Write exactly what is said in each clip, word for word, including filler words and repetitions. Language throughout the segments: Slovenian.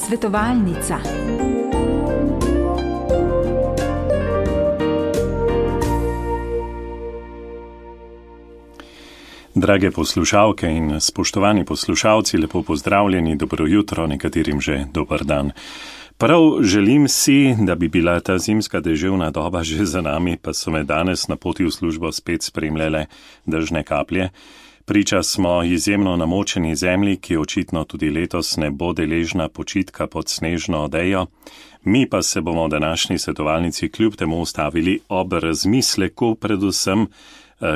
Svetovalnica. Drage poslušalke in spoštovani poslušalci, lepo pozdravljeni, dobro jutro, nekaterim že dober dan. Prav želim si, da bi bila ta zimska deževna doba že za nami, pa so me danes na poti v službo spet spremljale dežne kaplje. Priča smo izjemno namočeni zemlji, ki očitno tudi letos ne bo deležna počitka pod snežno odejo. Mi pa se bomo v današnji svetovalnici kljub temu ustavili ob razmisleku, predvsem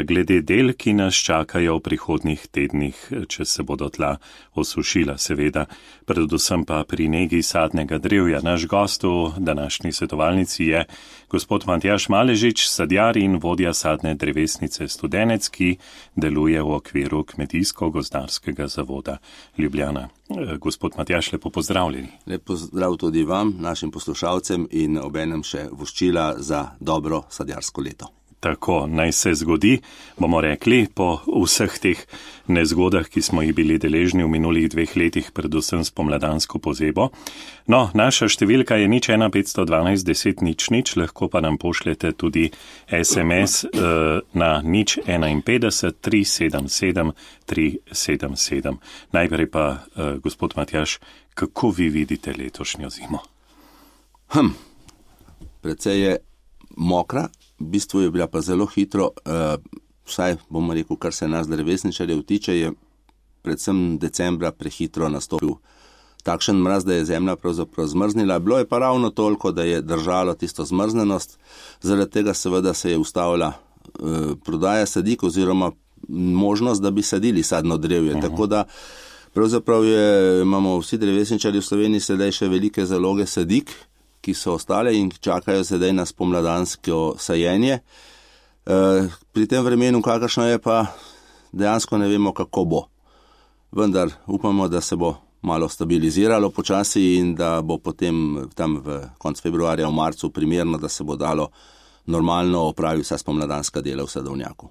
glede del, ki nas čakajo v prihodnjih tednih, če se bodo tla osušila, seveda, predvsem pa pri negi sadnega drevja. Naš gost v današnji svetovalnici je gospod Matjaž Maležič, sadjar in vodja sadne drevesnice Studenec, ki deluje v okviru Kmetijsko-gozdarskega zavoda Ljubljana. Gospod Matjaž, lepo pozdravljeni. Lep pozdrav tudi vam, našim poslušalcem in obenem še voščila za dobro sadjarsko leto. Tako naj se zgodi, bomo rekli, po vseh teh nezgodah, ki smo jih bili deležni v minulih dveh letih, predvsem s pomladansko pozebo. No, naša številka je nič ena petsto dvanajst deset nič nič, lahko pa nam pošljete tudi es em es eh, na nič enainpetdeset tri sedem sedem tri sedem sedem. Najprej pa, eh, gospod Matjaž, kako vi vidite letošnjo zimo? Hm, precej je mokra. V bistvu je bila pa zelo hitro, uh, vsaj bomo rekel, kar se nas drevesničarjev tiče, je predvsem decembra prehitro nastopil takšen mraz, da je zemlja pravzaprav zmrznila. Bilo je pa ravno toliko, da je držalo tisto zmrznenost, zaradi tega seveda se je ustavila uh, prodaja sadik oziroma možnost, da bi sadili sadno drevje. Uh-huh. Tako da pravzaprav je, imamo vsi drevesničarji v Sloveniji sedaj še velike zaloge sadik, ki so ostale in čakajo sedaj na spomladansko sajenje. E, pri tem vremenu, kakršno je, pa dejansko ne vemo, kako bo. Vendar upamo, da se bo malo stabiliziralo počasi in da bo potem tam v konc februarja, v marcu primerno, da se bo dalo normalno opraviti vsa spomladanska dela v sadovnjaku.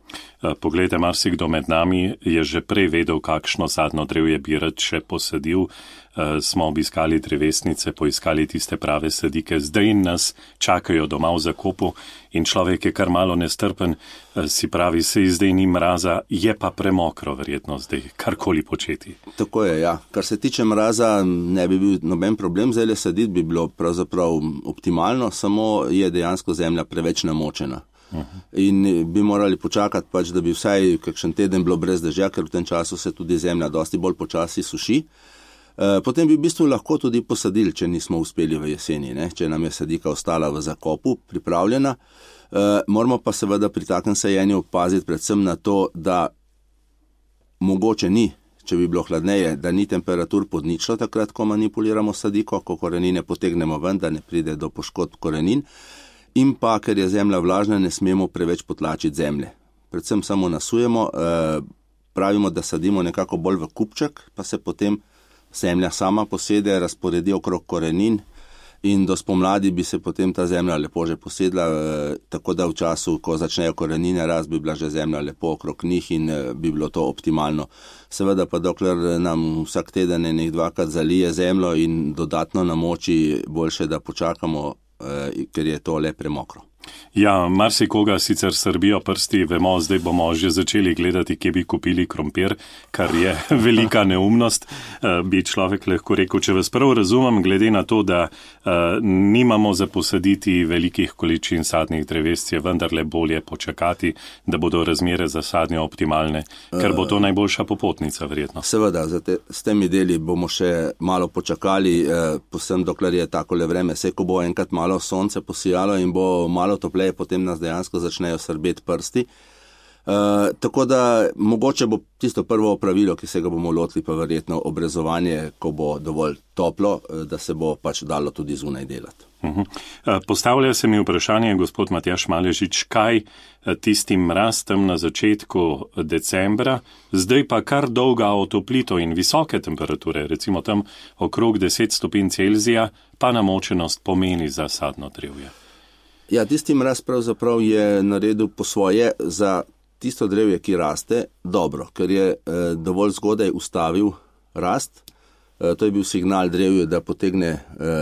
Poglejte, marsikdo med nami je že prej vedel, kakšno sadno drevje bi rad še posadil. Smo obiskali drevesnice, poiskali tiste prave sadike, zdaj nas čakajo doma v zakopu in človek je kar malo nestrpen, si pravi, se zdaj ni mraza, je pa premokro verjetno zdaj karkoli početi. Tako je, ja. Kar se tiče mraza, ne bi bil noben problem, zdaj le saditi bi bilo pravzaprav optimalno, samo je dejansko zemlja preveč namočena. Uh-huh. In bi morali počakati pač, da bi vsaj kakšen teden bilo brez dežja, ker v tem času se tudi zemlja dosti bolj počasi suši. Potem bi v bistvu lahko tudi posadili, če nismo uspeli v jeseni, ne? Če nam je sadika ostala v zakopu, pripravljena. E, moramo pa seveda pri takem sajenju paziti predvsem na to, da mogoče ni, če bi bilo hladneje, da ni temperatur pod ničlo takrat, ko manipuliramo sadiko, ko korenine potegnemo ven, da ne pride do poškodb korenin. In pa, ker je zemlja vlažna, ne smemo preveč potlačiti zemlje. Predvsem samo nasujemo, e, pravimo, da sadimo nekako bolj v kupček, pa se potem zemlja sama posede, razporedi okrog korenin in do spomladi bi se potem ta zemlja lepo že posedla, eh, tako da v času, ko začnejo korenine rast, bi bila že zemlja lepo okrog njih in eh, bi bilo to optimalno. Seveda pa dokler nam vsak teden nek dvakrat zalije zemljo in dodatno namoči, boljše, da počakamo, eh, ker je to le premokro. Ja, marsikoga sicer srbijo prsti, vemo, zdaj bomo že začeli gledati, kje bi kupili krompir, kar je velika neumnost, bi človek lahko rekel. Če vas prav razumem, glede na to, da uh, nimamo za posaditi velikih količin sadnih dreves, je vendarle bolje počakati, da bodo razmere za sadnje optimalne, ker bo to najboljša popotnica, verjetno. Seveda, te, s temi deli bomo še malo počakali, eh, posem dokler je takole vreme, se ko bo enkrat malo sonce posijalo in bo malo topleje, potem nas dejansko začnejo srbeti prsti. Uh, tako da mogoče bo tisto prvo opravilo, ki se ga bomo lotili, pa verjetno obrezovanje, ko bo dovolj toplo, da se bo pač dalo tudi zunaj delati. Uh-huh. Postavlja se mi vprašanje, gospod Matjaž Maležič, kaj tistim mraz tam na začetku decembra, zdaj pa kar dolga otoplitev in visoke temperature, recimo tam okrog deset stopinj Celzija, pa namočenost pomeni za sadno drevje. Ja, tisti mraz pravzaprav je naredil po svoje za tisto drevje, ki raste, dobro, ker je eh, dovolj zgodaj ustavil rast, To je bil signal drevju, da potegne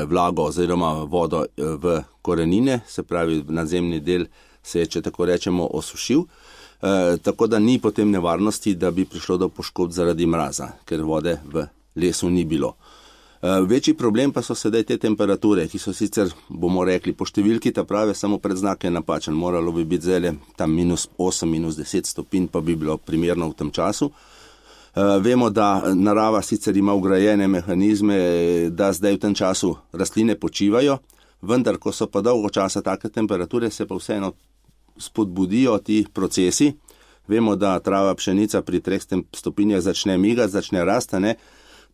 vlago oziroma vodo v korenine, se pravi nadzemni del se je, če tako rečemo, osušil, tako da ni potem nevarnosti, da bi prišlo do poškodb zaradi mraza, ker vode v lesu ni bilo. Večji problem pa so sedaj te temperature, ki so sicer, bomo rekli, po številki ta prave, samo predznak je napačen, moralo bi biti zdaj tam minus osem, minus deset stopinj, pa bi bilo primerno v tem času. Uh, vemo, da narava sicer ima ugrajene mehanizme, da zdaj v tem času rastline počivajo, vendar, ko so pa dolgo časa take temperature, se pa vseeno spodbudijo ti procesi. Vemo, da trava pšenica pri treh stopinjah začne migati, začne rastane.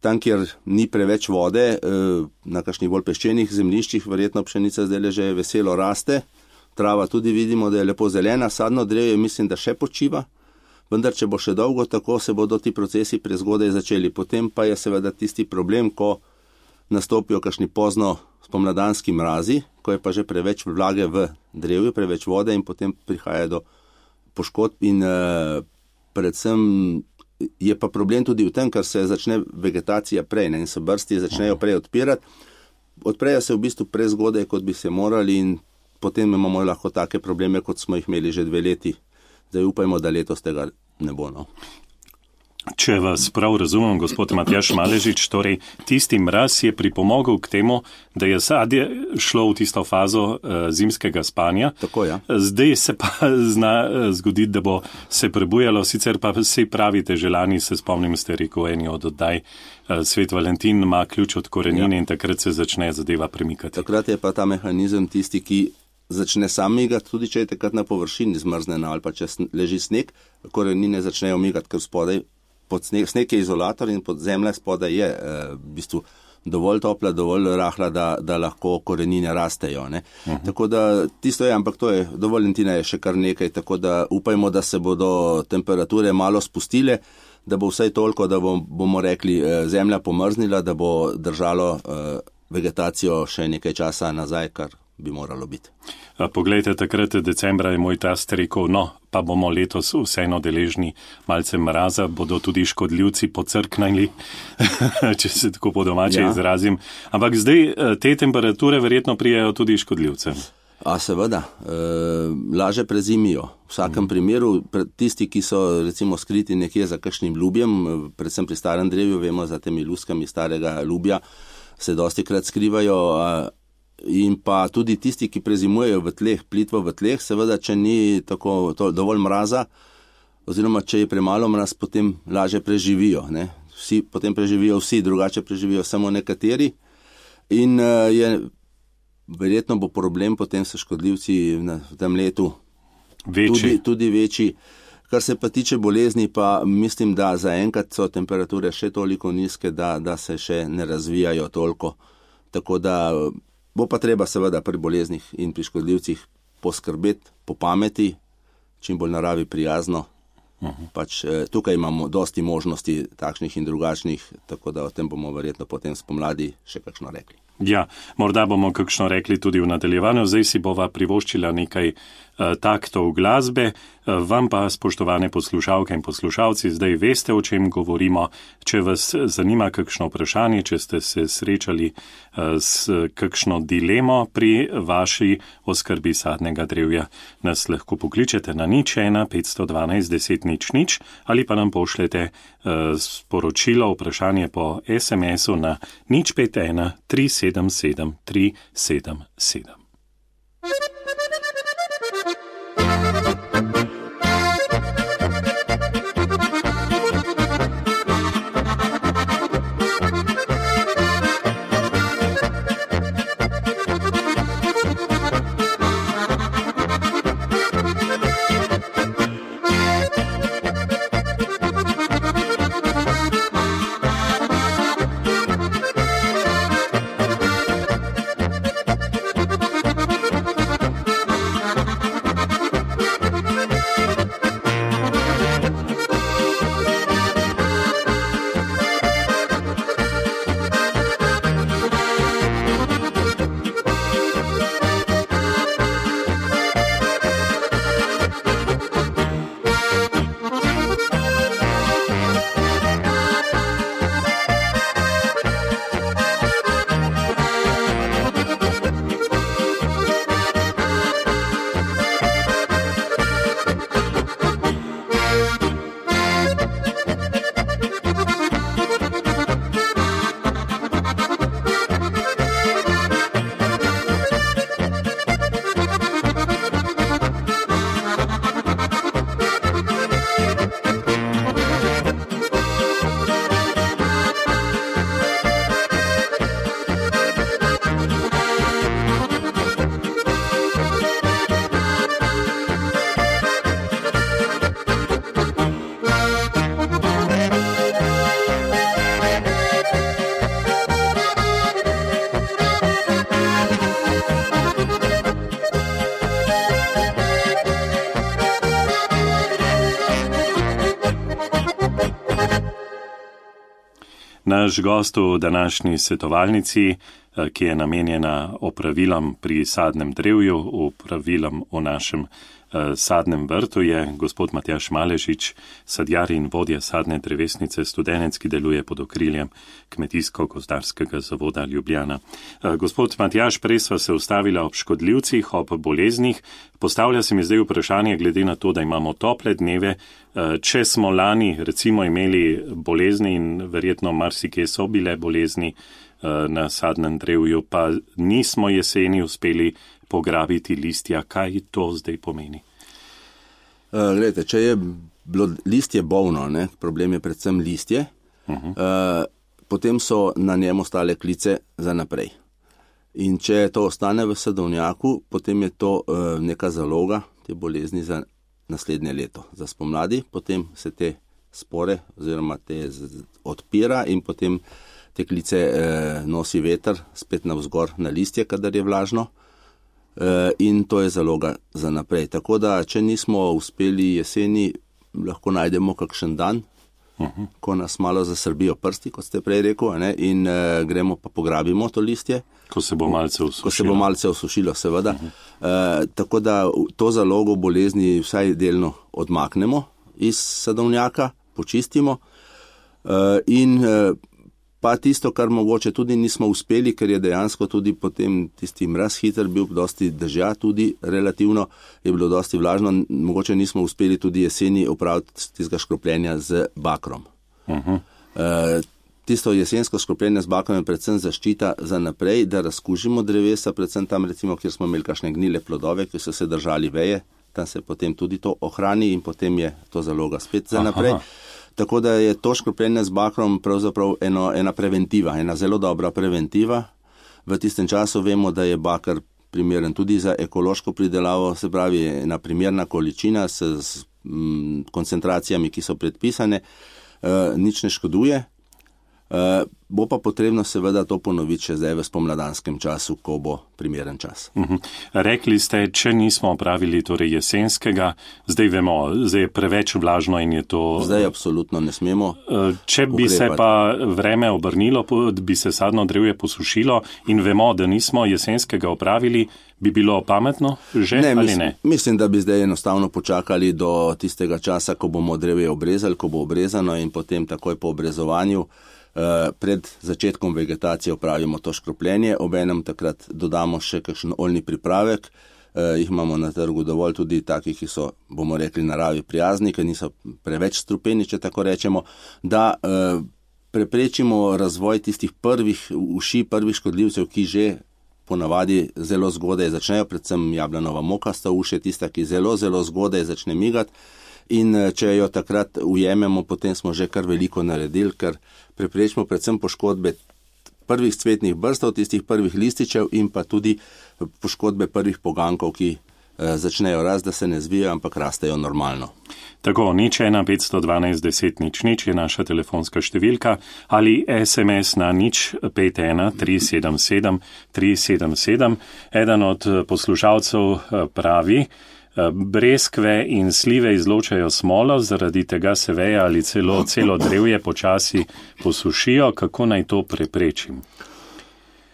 Tam, kjer ni preveč vode, uh, na kakšnih bolj peščenih zemljiščih, verjetno pšenica zdaj že veselo raste. Trava tudi vidimo, da je lepo zelena, sadno drevje mislim, da še počiva. Vendar, če bo še dolgo tako, se bodo ti procesi prezgodaj začeli. Potem pa je seveda tisti problem, ko nastopijo kakšni pozno spomladanski mrazi, ko je pa že preveč vlage v drevju, preveč vode in potem prihaja do poškodb in eh, predvsem je pa problem tudi v tem, ker se začne vegetacija prej, ne, in se brsti začnejo prej odpirati. Odprejo se v bistvu prezgodaj, kot bi se morali in potem imamo lahko take probleme, kot smo jih imeli že dve leti. Zdaj upajmo, da letos tega ne bo. No. Če vas prav razumem, gospod Matjaž Maležič, torej tisti mraz je pripomogel k temu, da je sadje šlo v tisto fazo uh, zimskega spanja. Tako, ja. Zdaj se pa zna uh, zgoditi, da bo se prebujalo, sicer pa vsi pravite, želani se spomnim, ste rekel eni od oddaj, uh, Svet Valentin ima ključ od korenine, ja. In takrat se začne zadeva premikati. Takrat je pa ta mehanizem tisti, ki začne sam migati, tudi če je takrat na površini zmrznena ali pa če leži sneg, korenine začnejo migati, ker spodaj pod sneg, sneg je izolator in pod zemlja spodaj je eh, v bistvu dovolj topla, dovolj rahla, da, da lahko korenine rastejo. Ne? Uh-huh. Tako da tisto je, ampak to je, do Valentina je še kar nekaj, tako da upajmo, da se bodo temperature malo spustile, da bo vsaj toliko, da bom, bomo rekli, eh, zemlja pomrznila, da bo držalo eh, vegetacijo še nekaj časa nazaj, kar bi moralo biti. Poglejte, takrat decembra je moj tast rekel, no, pa bomo letos vseeno deležni malce mraza, bodo tudi škodljivci pocrknili, če se tako po domače ja. izrazim. Ampak zdaj te temperature verjetno prijajo tudi škodljivcem. A seveda, e, laže prezimijo. V vsakem mm. primeru, tisti, ki so recimo skriti nekje za kakšnim ljubjem, predvsem pri starem drevju, vemo za temi luskami starega ljubja, se dosti krat skrivajo, a, in pa tudi tisti, ki prezimujejo v tleh, plitvo v tleh, seveda, če ni tako to, dovolj mraza, oziroma če je premalo mraz, potem laže preživijo. Ne? Vsi, potem preživijo vsi, drugače preživijo samo nekateri in uh, je, verjetno bo problem potem s škodljivci v tem letu tudi, tudi večji. Kar se pa tiče bolezni, pa mislim, da zaenkrat so temperature še toliko nizke, da, da se še ne razvijajo toliko. Tako da bo pa treba seveda pri boleznih in pri škodljivcih poskrbeti po pameti, čim bolj naravi prijazno. Uh-huh. Pač, eh, tukaj imamo dosti možnosti takšnih in drugačnih, tako da o tem bomo verjetno potem spomladi še kakšno rekli. Ja, morda bomo kakšno rekli tudi v nadaljevanju. Zdaj si bova privoščila nekaj uh, taktov glasbe. Uh, vam pa, spoštovane poslušalke in poslušalci, zdaj veste, o čem govorimo. Če vas zanima kakšno vprašanje, če ste se srečali uh, s kakšno dilemo pri vaši oskrbi sadnega drevja, nas lahko pokličete na nič ena petsto dvanajst deset nič nič ali pa nam pošljete uh, sporočilo, vprašanje po es em esu na nič pet ena tri sedem sedem tri sedem sedem. Naš gost v današnji svetovalnici, ki je namenjena opravilom pri sadnem drevju, opravilom v našem sadnem vrtu, je gospod Matjaž Malešič, sadjar in vodja sadne drevesnice, studenec, ki deluje pod okriljem Kmetijsko-gozdarskega zavoda Ljubljana. Gospod Matjaž, prej sva se ustavila ob škodljivcih, ob boleznih. Postavlja se mi zdaj vprašanje, glede na to, da imamo tople dneve, če smo lani recimo imeli bolezni in verjetno marsikje so bile bolezni na sadnem drevju, pa nismo jeseni uspeli pograbiti listja, kaj to zdaj pomeni? Uh, Glede, če je bilo listje bolno, ne, problem je predvsem listje, uh-huh. uh, potem so na njem ostale klice za naprej. In če to ostane v sadovnjaku, potem je to uh, neka zaloga te bolezni za naslednje leto. Za spomladi potem se te spore oziroma te z, odpira in potem te klice uh, nosi veter spet navzgor na listje, kadar je vlažno. Uh, in to je zaloga za naprej. Tako da, če nismo uspeli jeseni, lahko najdemo kakšen dan, uh-huh. ko nas malo zasrbijo prsti, kot ste prej rekel, ne? in uh, gremo pa pograbimo to listje. Ko se bo malce osušilo. Ko se bo malce osušilo, seveda. Uh-huh. Uh, tako da to zalogo bolezni vsaj delno odmaknemo iz sadovnjaka, počistimo uh, in uh, pa tisto, kar mogoče tudi nismo uspeli, ker je dejansko tudi potem tisti mraz hiter bil, dosti dežja tudi relativno, je bilo dosti vlažno, mogoče nismo uspeli tudi jeseni opraviti tistega škropljenja z bakrom. Uh-huh. E, tisto jesensko škropljenje z bakrom je predvsem zaščita za naprej, da razkužimo drevesa, predvsem tam recimo, kjer smo imeli kakšne gnile plodove, ki so se držali veje, tam se potem tudi to ohrani in potem je to zaloga spet za naprej. Aha. Tako da je to škropljenje z bakrom pravzaprav eno, ena preventiva, ena zelo dobra preventiva. V tistem času vemo, da je bakar primeren tudi za ekološko pridelavo, se pravi ena primerna količina s, s m, koncentracijami, ki so predpisane, e, nič ne škoduje. E, bo pa potrebno seveda to ponoviti še zdaj v spomladanskem času, ko bo primeren čas. Uh-huh. Rekli ste, če nismo opravili torej jesenskega, zdaj vemo, zdaj je preveč vlažno in je to... Zdaj absolutno ne smemo. Če bi ukrepati. Se pa vreme obrnilo, bi se sadno drevje posušilo in vemo, da nismo jesenskega opravili, bi bilo pametno že ne, ali mislim, ne? Mislim, da bi zdaj enostavno počakali do tistega časa, ko bomo drevje obrezali, ko bo obrezano in potem takoj po obrezovanju pred začetkom vegetacije opravimo to škropljenje, obenem takrat dodamo še kakšen oljni pripravek, e, jih imamo na trgu dovolj tudi takih, ki so, bomo rekli, naravi prijazni, ki niso preveč strupeni, če tako rečemo, da e, preprečimo razvoj tistih prvih uši, prvih škodljivcev, ki že ponavadi zelo zgodaj začnejo, predvsem jablanova mokasta uš je tista, ki zelo, zelo zgodaj začne migati. In če jo takrat ujememo, potem smo že kar veliko naredili, ker preprečimo predvsem poškodbe prvih cvetnih brstov, tistih prvih lističev in pa tudi poškodbe prvih pogankov, ki eh, začnejo rast, da se ne zvijajo, ampak rastejo normalno. Tako, nič ena petsto dvanajst deset nič nič je naša telefonska številka ali es em es na nič pet ena tri sedem sedem tri sedem sedem. Eden od poslušalcev pravi, breskve in slive izločajo smolo, zaradi tega se veje ali celo celo drevje počasi posušijo. Kako naj to preprečim?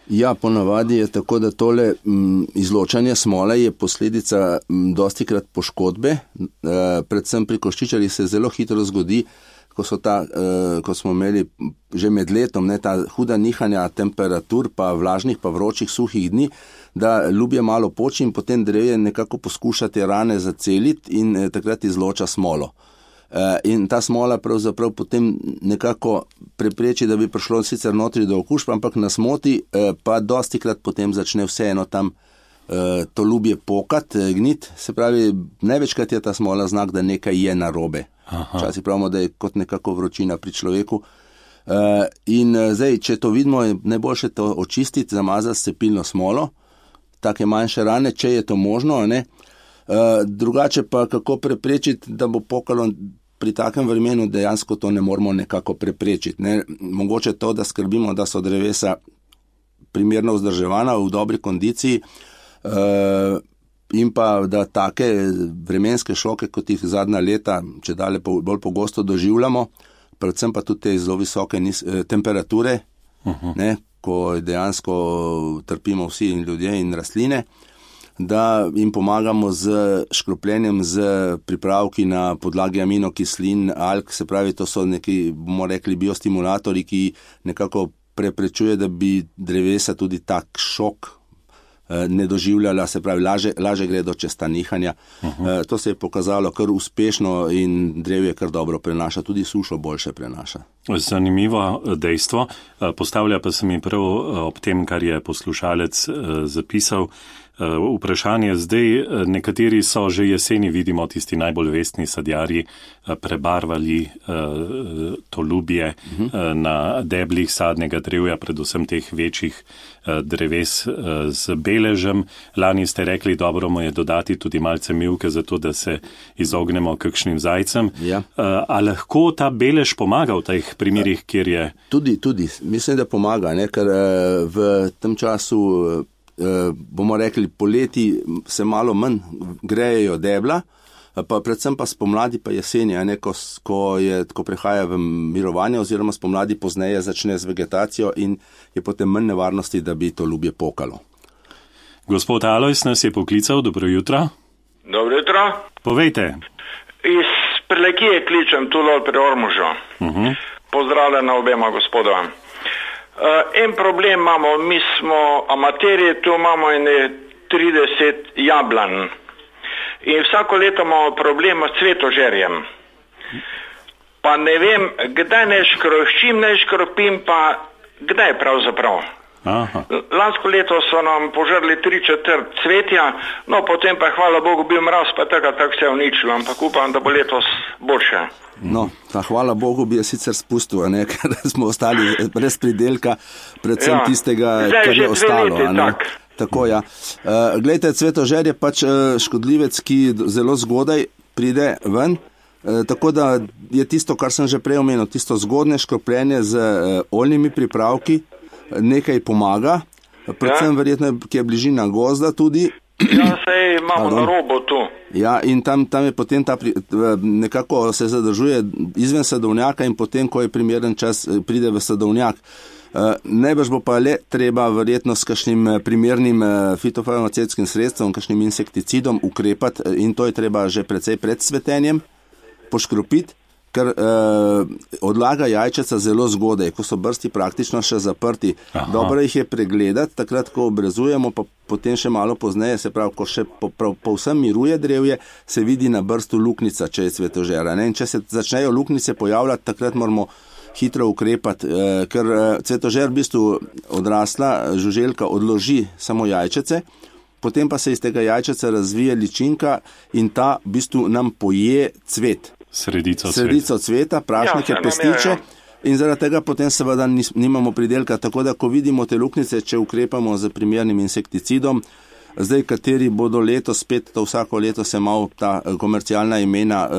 Ja, ponavadi je tako, da tole m, izločanje smole je posledica m, dostikrat poškodbe, e, predvsem pri koščičarjih se zelo hitro zgodi, ko, so ta, e, ko smo imeli že med letom ne, ta huda nihanja temperatur, pa vlažnih, pa vročih, suhih dni, da ljubje malo poči in potem drevje nekako poskuša te rane zaceliti in eh, takrat izloča smolo. Eh, in ta smola pravzaprav potem nekako prepreči, da bi prišlo sicer notri do okužb, ampak nas moti, eh, pa dostikrat potem začne vseeno tam eh, to ljubje pokat, eh, gnit. Se pravi, največkrat je ta smola znak, da nekaj je narobe. Včasih pravimo, da je kot nekako vročina pri človeku. Uh, in uh, zdaj, če to vidimo, je najboljše to očistiti, zamazati s cepilno smolo, take manjše rane, če je to možno, ne. Uh, drugače pa kako preprečiti, da bo pokalo pri takem vremenu, dejansko to ne moramo nekako preprečiti, ne. Mogoče to, da skrbimo, da so drevesa primerno vzdrževana, v dobri kondiciji, uh, in pa da take vremenske šoke, kot jih zadnja leta, če dalje bolj pogosto doživljamo, predvsem pa tudi te zelo visoke nis, temperature, uh-huh. ne, ko dejansko trpimo vsi in ljudje in rastline, da jim pomagamo z škropljenjem, z pripravki na podlagi aminokislin, alg, se pravi, to so neki, bomo rekli, biostimulatori, ki nekako preprečuje, da bi drevesa tudi tak šok ne doživljala, se pravi, laže, laže gredo čez ta nihanja. Uh-huh. To se je pokazalo kar uspešno in drevje kar dobro prenaša, tudi sušo boljše prenaša. Zanimivo dejstvo, postavlja pa se mi prav ob tem, kar je poslušalec zapisal, vprašanje zdaj, nekateri so že jeseni, vidimo, tisti najbolj vestni sadjarji, prebarvali to ljubje uh-huh. na deblih sadnega drevja, predvsem teh večjih dreves z beležem. Lani ste rekli, dobro mu je dodati tudi malce mivke, zato da se izognemo kakšnim zajcem. Ja. A lahko ta belež pomaga v teh primerih, kjer je? Tudi, tudi. Mislim, da pomaga, ne? Ker v tem času bomo rekli, poleti se malo manj grejejo debla, pa predvsem pa spomladi pa jeseni, ne, ko, ko, je, ko prehaja v mirovanje oziroma spomladi pozneje začne z vegetacijo in je potem manj nevarnosti, da bi to ljubje pokalo. Gospod Alojs nas je poklical, dobro jutro. Dobro jutro. Povejte. Iz Prlekije kličem tu dol pri Ormožu. Uh-huh. Pozdravljena obema gospodova. Uh, en problem imamo, mi smo amaterji, tu imamo ene trideset jablan in vsako leto imamo problem s cvetožerjem. Pa ne vem, kdaj ne škroščim, ne škropim, pa kdaj pravzaprav. Aha. Lansko leto so nam požrli tri četrt cvetja, no potem pa hvala Bogu bil mraz, pa tako tak se je uničilo, ampak upam, da bo letos boljše. No, ta hvala Bogu bi je sicer spustil, ne, ker smo ostali brez pridelka, predvsem ja. tistega, Zdaj, kar je ostalo. Leti, tak. Tako, ja. Uh, glejte, cvetožer je pač uh, škodljivec, ki zelo zgodaj pride ven, uh, tako da je tisto, kar sem že prej omenil, tisto zgodne škropljenje z uh, oljnimi pripravki, nekaj pomaga, predvsem ja. verjetno, ki je bližina gozda tudi. Ja, sej imamo na robo tu. Ja, in tam, tam je potem ta, nekako se zadržuje izven sadovnjaka in potem, ko je primeren čas, pride v sadovnjak. Najbrž bo pa le treba verjetno s kakšnim primernim fitofarmacevtskim sredstvom, kakšnim insekticidom ukrepati in to je treba že precej pred cvetenjem poškropiti, ker eh, odlaga jajčeca zelo zgodaj, ko so brsti praktično še zaprti. Aha. Dobro jih je pregledati, takrat, ko obrezujemo, pa potem še malo pozneje, se pravi, ko še po, po, povsem miruje drevje, se vidi na brstu luknica, če je cvetožera. Ne? In če se začnejo luknice pojavljati, takrat moramo hitro ukrepati, eh, ker eh, cvetožer v bistvu odrasla žuželka odloži samo jajčece, potem pa se iz tega jajčeca razvije ličinka in ta v bistvu nam poje cvet. Sredico, Sredico cveta, prašnike, ja, pestiče in zaradi tega potem seveda nimamo pridelka. Tako da, ko vidimo te luknice, če ukrepamo z primernim insekticidom, zdaj kateri bodo letos spet, to vsako leto se malo ta komercialna imena eh,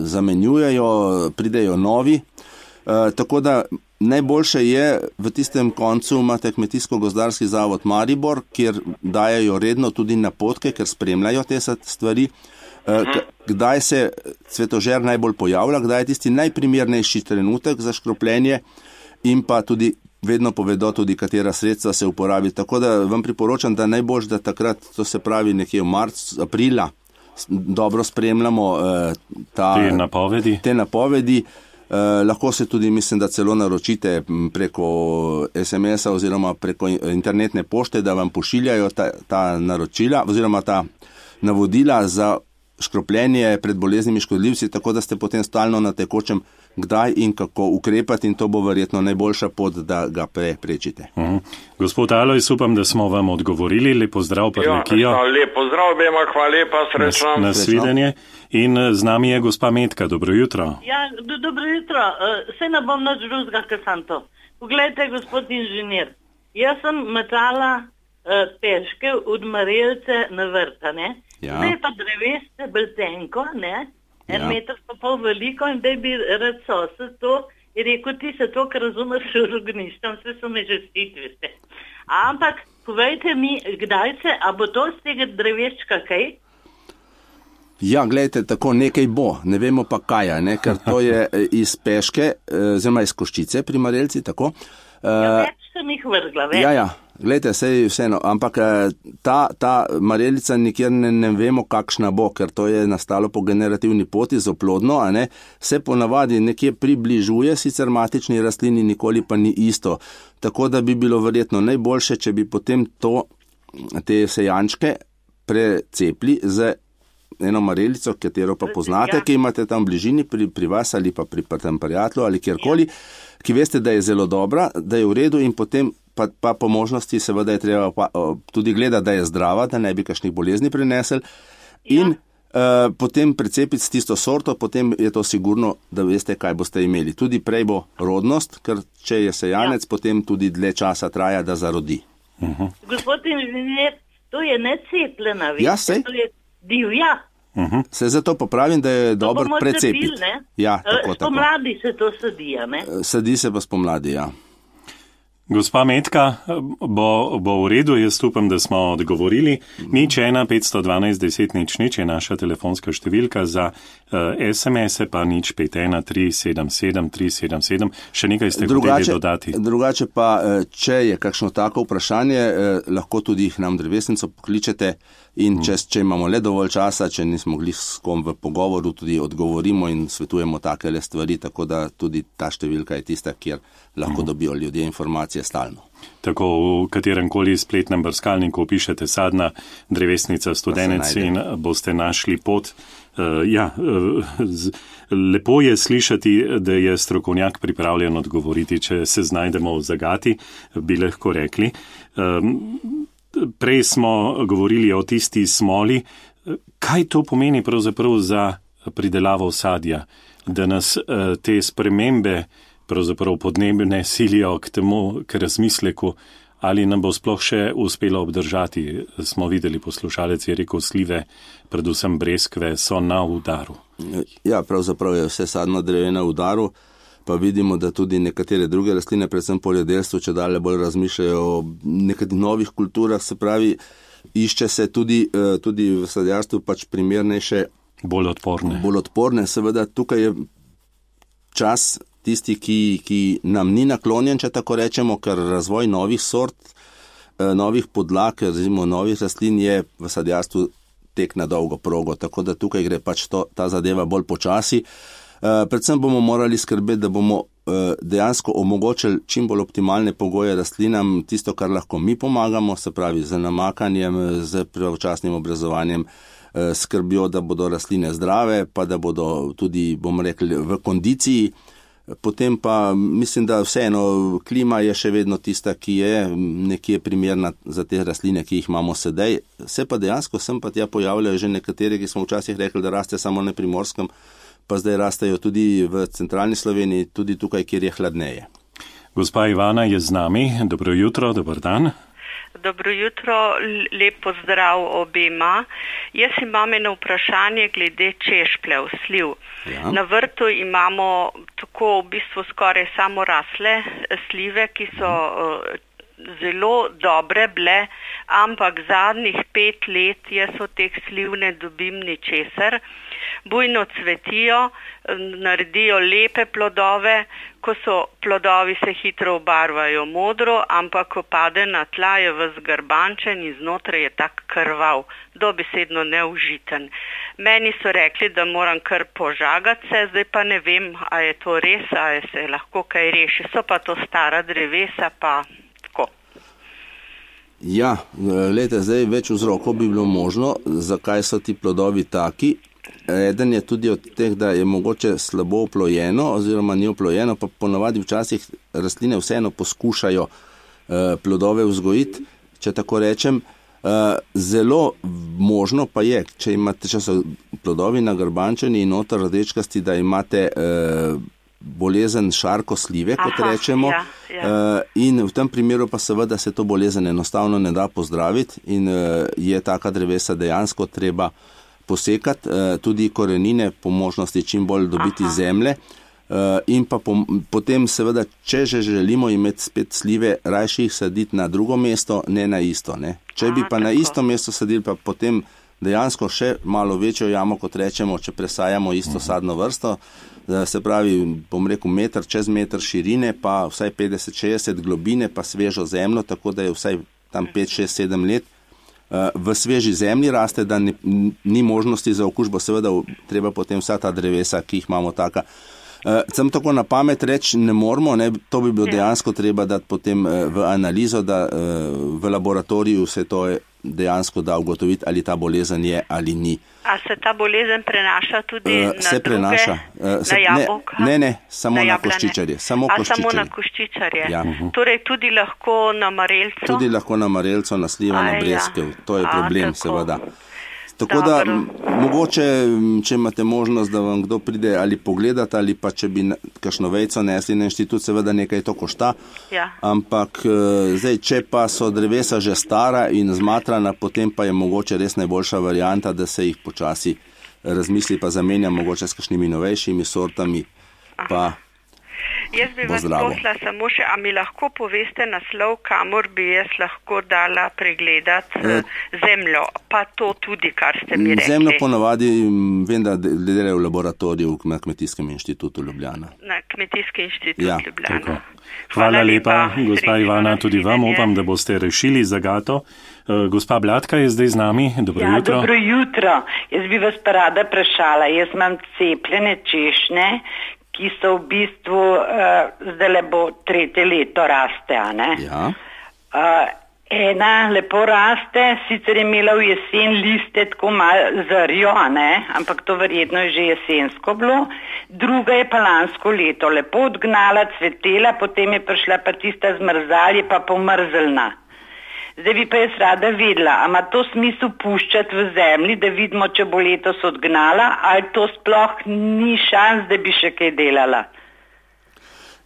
zamenjujejo, pridejo novi. Eh, tako da najboljše je v tistem koncu imate Kmetijsko-gozdarski zavod Maribor, kjer dajajo redno tudi napotke, ker spremljajo te stvari. Kdaj se cvetožer najbolj pojavlja, kdaj je tisti najprimernejši trenutek za škropljenje in pa tudi vedno povedo tudi, katera sredstva se uporabi. Tako da vam priporočam, da najbolj, da takrat, to se pravi nekje v marcu, aprila, dobro spremljamo eh, ta, te napovedi. Te napovedi. Eh, lahko se tudi, mislim, da celo naročite preko es em es-a oziroma preko internetne pošte, da vam pošiljajo ta, ta naročila oziroma ta navodila za škropljenje pred boleznimi škodljivci, tako da ste potem stalno na tekočem, kdaj in kako ukrepati in to bo verjetno najboljša pot, da ga preprečite. Uh-huh. Gospod Alojs, upam, da smo vam odgovorili. Lep pozdrav, Prlekijo. Ja, lep pozdrav, bema, hvala lepa, srečno. Na, na svidenje. In z nami je gospa Metka. Dobro jutro. Ja, do, dobro jutro. Uh, se ne bom nič drugega, kar sem to. Poglejte, gospod inženir, jaz sem metala uh, težke odmarelce na vrta, ne? Ja. Zdaj pa dreveste bolj tenko, ne? En ja. meter pa pol veliko in da bi rad sosed to in rekel, ti se to, ker razumeš v organištem, vse so me že stitviste. Ampak, povejte mi, kdaj se, a bo to z tega dreveščka kaj? Ja, gledajte, tako nekaj bo, ne vemo pa kaj, ne, ker to je iz peške, oziroma iz koščice pri marelci, tako. Ja, več sem jih vrgla, več. Ja, ja, gledajte, sej vseeno, ampak ta, ta marelica nikjer ne, ne vemo, kakšna bo, ker to je nastalo po generativni poti z oplodno, a ne, se ponavadi nekje približuje sicer matični rastlini, nikoli pa ni isto. Tako da bi bilo verjetno najboljše, če bi potem to, te sejančke precepli z eno marelico, katero pa poznate, ki imate tam v bližini pri, pri vas ali pa pri tem prijatelju ali kjerkoli, ki veste, da je zelo dobra, da je v redu in potem pa, pa po možnosti seveda je treba pa, tudi gledati, da je zdrava, da ne bi kakšnih bolezni prinesel in ja. uh, potem precepiti s tisto sorto, potem je to sigurno, da veste, kaj boste imeli. Tudi prej bo rodnost, ker če je sejanec, ja. potem tudi dlje časa traja, da zarodi. Uh-huh. Gospod inženir, to je necepljena, veste, ja, sej. To je divja. Uh-huh. Se zato popravim, da je dobro precepiti. Ja, tako, tako. Spomladi se to sadi, ne? Sadi se pa spomladi, ja. Gospa Metka, bo, bo v redu, jaz upam, da smo odgovorili. Nič ena petsto dvanajst deset nič nič je naša telefonska številka, za uh, es em es-e pa nič pet ena tri sedem sedem tri sedem sedem. Še nekaj ste hoteli dodati. Drugače pa, če je kakšno tako vprašanje, eh, lahko tudi jih nam drevesnico pokličete in če, če imamo le dovolj časa, če nismo mogli s kom v pogovoru, tudi odgovorimo in svetujemo takele stvari, tako da tudi ta številka je tista, kjer lahko uh-huh. dobijo ljudje informacije stalno. Tako v katerem koli spletnem brskalniku pišete sadna drevesnica Studenec in boste našli pot. Uh, ja, uh, z, lepo je slišati, da je strokovnjak pripravljen odgovoriti, če se znajdemo v zagati, bi lahko rekli. Um, Prej smo govorili o tisti smoli. Kaj to pomeni pravzaprav za pridelavo sadja, da nas te spremembe pravzaprav podnebne silijo k temu, k razmisleku, ali nam bo sploh še uspelo obdržati? Smo videli, poslušalec je rekel, slive, predvsem breskve, so na udaru. Ja, pravzaprav je vse sadno drevje na udaru. Pa vidimo, da tudi nekatere druge rastline, predvsem poljedelstvo, če dalje bolj razmišljajo o nekaterih novih kulturah, se pravi, išče se tudi, tudi v sadjarstvu pač primernejše, bolj odporne. Bolj odporne, seveda tukaj je čas tisti, ki, ki nam ni naklonjen, če tako rečemo, ker razvoj novih sort, novih podlag, razimo novih rastlin je v sadjarstvu tek na dolgo progo, tako da tukaj gre pač to, ta zadeva bolj počasi. Uh, predvsem bomo morali skrbeti, da bomo uh, dejansko omogočili čim bolj optimalne pogoje rastlinam, tisto, kar lahko mi pomagamo, se pravi z namakanjem, z pravočasnim obrazovanjem, uh, skrbjo, da bodo rastline zdrave, pa da bodo tudi, bomo rekli, v kondiciji. Potem pa mislim, da vseeno klima je še vedno tista, ki je nekje primerna za te rastline, ki jih imamo sedaj. Se pa dejansko sem pa tja pojavljajo že nekatere, ki smo včasih rekli, da raste samo na Primorskem, pa zdaj rastejo tudi v centralni Sloveniji, tudi tukaj, kjer je hladneje. Gospa Ivana je z nami. Dobro jutro, dober dan. Dobro jutro, lep pozdrav obema. Jaz imam eno vprašanje glede češpljev, sliv. Ja. Na vrtu imamo tako v bistvu skoraj samo rasle slive, ki so uh, zelo dobre bile, ampak zadnjih pet let jaz od teh sliv ne dobim ničesar. Bujno cvetijo, naredijo lepe plodove, ko so plodovi se hitro obarvajo modro, ampak ko pade na tla je ves garbančen in znotraj je tak krvav, dobesedno neužiten. Meni so rekli, da moram kar požagati se, zdaj pa ne vem, a je to res, a je se lahko kaj reši. So pa to stara drevesa, pa tako. Ja, lejte, zdaj več vzrokov bi bilo možno, zakaj so ti plodovi taki. Eden je tudi od teh, da je mogoče slabo oplojeno oziroma ni oplojeno, pa ponavadi včasih rastline vseeno poskušajo eh, plodove vzgojiti, če tako rečem. Eh, zelo možno pa je, če imate, če so plodovi nagrbančeni in noter rdečkasti, da imate eh, bolezen šarko slive, kot Aha, rečemo. Ja, ja. Eh, in v tem primeru pa seveda se to bolezen enostavno ne da pozdraviti in eh, je taka drevesa dejansko treba posekati, tudi korenine po možnosti čim bolj dobiti Aha. zemlje in pa po, potem seveda, če že želimo imeti spet slive, rajši jih saditi na drugo mesto, ne na isto. Ne? Če Aha, bi pa tako. na isto mesto sadili, pa potem dejansko še malo večjo jamo, kot rečemo, če presajamo isto sadno vrsto, se pravi, bom rekel, meter čez meter širine, pa vsaj petdeset šestdeset globine, pa svežo zemljo, tako da je vsaj tam pet, šest, sedem let v sveži zemlji raste, da ni, ni možnosti za okužbo, seveda treba potem vsa ta drevesa, ki jih imamo taka. Sem tako na pamet reči, ne moramo, ne, to bi bilo dejansko treba dati potem v analizo, da v laboratoriju se to dejansko da ugotoviti, ali ta bolezen je ali ni. A se ta bolezen prenaša tudi uh, na se druge, prenaša. Uh, se, na jabolka? Ne, ne, samo na, na koščičarje. Samo, A, koščičarje. samo na koščičarje. Ja. Uh-huh. Torej tudi lahko na marelco? Tudi lahko na marelco, na slivo, na breskev. To je problem, A, seveda. Tako da, m, mogoče, če imate možnost, da vam kdo pride ali pogledati, ali pa če bi kakšno vejco nesli na inštitut, seveda nekaj to košta. Ja. Ampak zdaj, če pa so drevesa že stara in zmatrana, potem pa je mogoče res najboljša varianta, da se jih počasi razmisli, pa zamenja mogoče s kakšnimi novejšimi sortami. Pa Jaz bi vas prosila samo še, a mi lahko poveste naslov, kamor bi jaz lahko dala pregledati e, zemljo, pa to tudi, kar ste mi rekli. Zemljo ponavadi, vem, da delajo v laboratoriju na Kmetijskem inštitutu Ljubljana. Na Kmetijski inštitut ja, Ljubljana. Hvala, Hvala lepa, lepa gospa Ivana, tudi vam upam, da boste rešili zagato. Uh, gospa Blatka je zdaj z nami. Dobro ja, jutro. Dobro jutro. Jaz bi vas pa rada vprašala. Jaz imam cepljene češnje, ki so v bistvu, uh, zdaj le bo tretje leto raste, a ne? Ja. Uh, ena lepo raste, sicer je imela v jesen liste tako malo zrjo, a ne? Ampak to verjetno je že jesensko bilo. Druga je pa lansko leto lepo odgnala, cvetela, potem je prišla pa tista zmrzal, je pa pomrzelna. Zdaj bi pa jaz rada vedela, a ima to smisel puščati v zemlji, da vidimo, če bo letos odgnala, ali to sploh ni šans, da bi še kaj delala?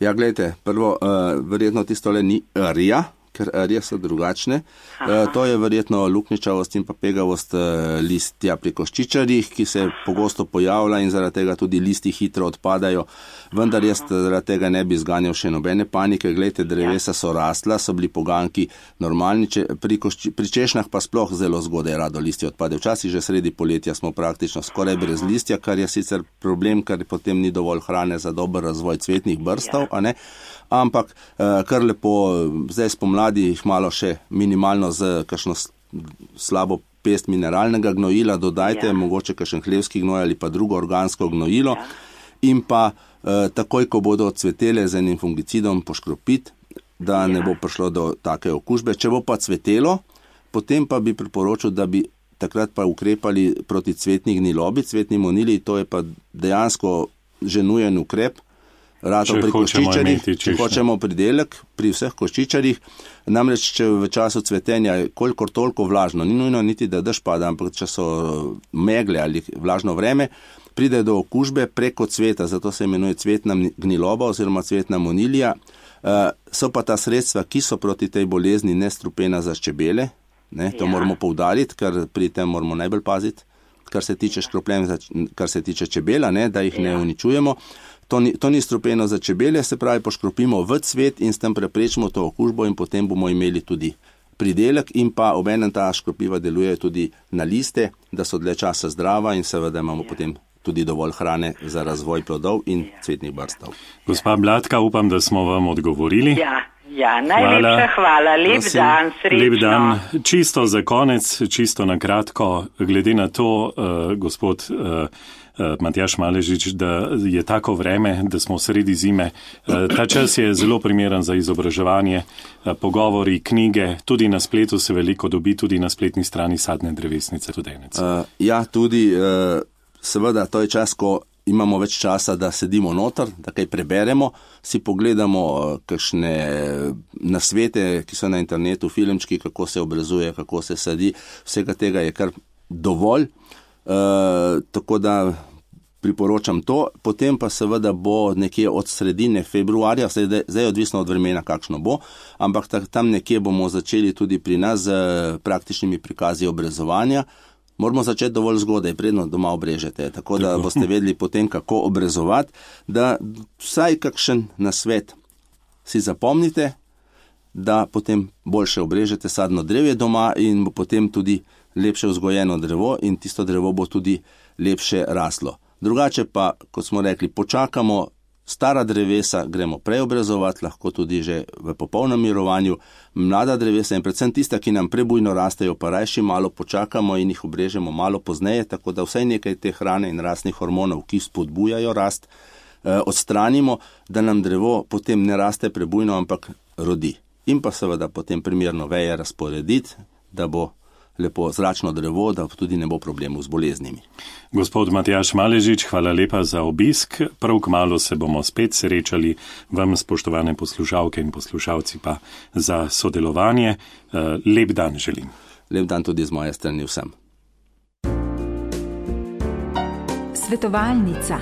Ja, gledajte, prvo, uh, verjetno tisto le ni rja, ker rje so drugačne. Uh, to je verjetno lukničavost in pa pegavost uh, listja pri koščičarjih, ki se pogosto pojavlja in zaradi tega tudi listi hitro odpadajo. Vendar jaz zaradi tega ne bi zganjal še nobene panike. Glejte, drevesa so rastla, so bili poganki normalni, če, pri, košči, pri češnjah pa sploh zelo zgodaj rado listje odpade. Včasih že sredi poletja smo praktično skoraj brez listja, kar je sicer problem, ker potem ni dovolj hrane za dober razvoj cvetnih brstov, a ne? Ampak kar lepo, zdaj spomladi jih malo še minimalno z kakšno slabo pest mineralnega gnojila dodajte, ja. Mogoče kakšen hlevski gnoj ali pa drugo organsko gnojilo ja. In pa eh, takoj, ko bodo cvetele z enim fungicidom poškropiti, da ja. Ne bo prišlo do take okužbe. Če bo pa cvetelo, potem pa bi priporočil, da bi takrat pa ukrepali proti cvetni gnilobi, cvetni monili, to je pa dejansko že nujen ukrep. Rato pri koščičarjih, če hočemo pridelek pri vseh koščičarjih, namreč če v času cvetenja je kolikor toliko vlažno, ni nujno niti, da dež pada, ampak če so megle ali vlažno vreme, pride do okužbe preko cveta, zato se imenuje cvetna gniloba oziroma cvetna monilija. So pa ta sredstva, ki so proti tej bolezni nestrupena za čebele, ne, to ja. Moramo poudariti, ker pri tem moramo najbolj paziti, kar se tiče škropljenja, kar se tiče čebela, ne, da jih ja. Ne uničujemo. To ni, to ni strupeno za čebele, se pravi, poškropimo v cvet in s tem preprečimo to okužbo in potem bomo imeli tudi pridelek in pa obenem ta škropiva deluje tudi na liste, da so dlje časa zdrava in seveda imamo ja. Potem tudi dovolj hrane za razvoj plodov in ja. Cvetnih brstov. Gospa Blatka, upam, da smo vam odgovorili. Ja, ja najlepša hvala. hvala. Lep Prosim. Dan, srečno. Lep dan. Čisto za konec, čisto na kratko, glede na to, uh, gospod uh, Matjaž Maležič, da je tako vreme, da smo sredi zime. Ta čas je zelo primeren za izobraževanje, pogovori, knjige, tudi na spletu se veliko dobi, tudi na spletni strani Sadne drevesnice Studenec. Uh, ja, tudi uh, seveda to je čas, ko imamo več časa, da sedimo noter, da kaj preberemo, si pogledamo uh, kakšne nasvete, ki so na internetu, filmčki, kako se obrazuje, kako se sadi, vsega tega je kar dovolj. Uh, tako da priporočam to, potem pa seveda bo nekje od sredine februarja, zdaj, zdaj odvisno od vremena, kakšno bo, ampak tam nekje bomo začeli tudi pri nas z praktičnimi prikazi obrezovanja. Moramo začeti dovolj zgodaj, predno doma obrežete, tako da tako. Boste vedeli potem, kako obrezovati, da vsaj kakšen nasvet si zapomnite, da potem boljše obrežete sadno drevje doma in bo potem tudi lepše vzgojeno drevo in tisto drevo bo tudi lepše raslo. Drugače pa, kot smo rekli, počakamo, stara drevesa gremo preobrazovati, lahko tudi že v popolnem mirovanju, mlada drevesa in predvsem tista, ki nam prebujno rastejo, pa rajši malo počakamo in jih obrežemo malo pozneje, tako da vsaj nekaj te hrane in rastnih hormonov, ki spodbujajo rast, odstranimo, da nam drevo potem ne raste prebujno, ampak rodi. In pa seveda potem primerno veje razporediti, da bo lepo zračno drevo, da tudi ne bo problemov z boleznimi. Gospod Matjaž Maležič, hvala lepa za obisk. Prav kmalu se bomo spet srečali, vam, spoštovane poslušalke in poslušalci, pa za sodelovanje. Lep dan želim. Lep dan tudi z moje strani vsem. Svetovalnica.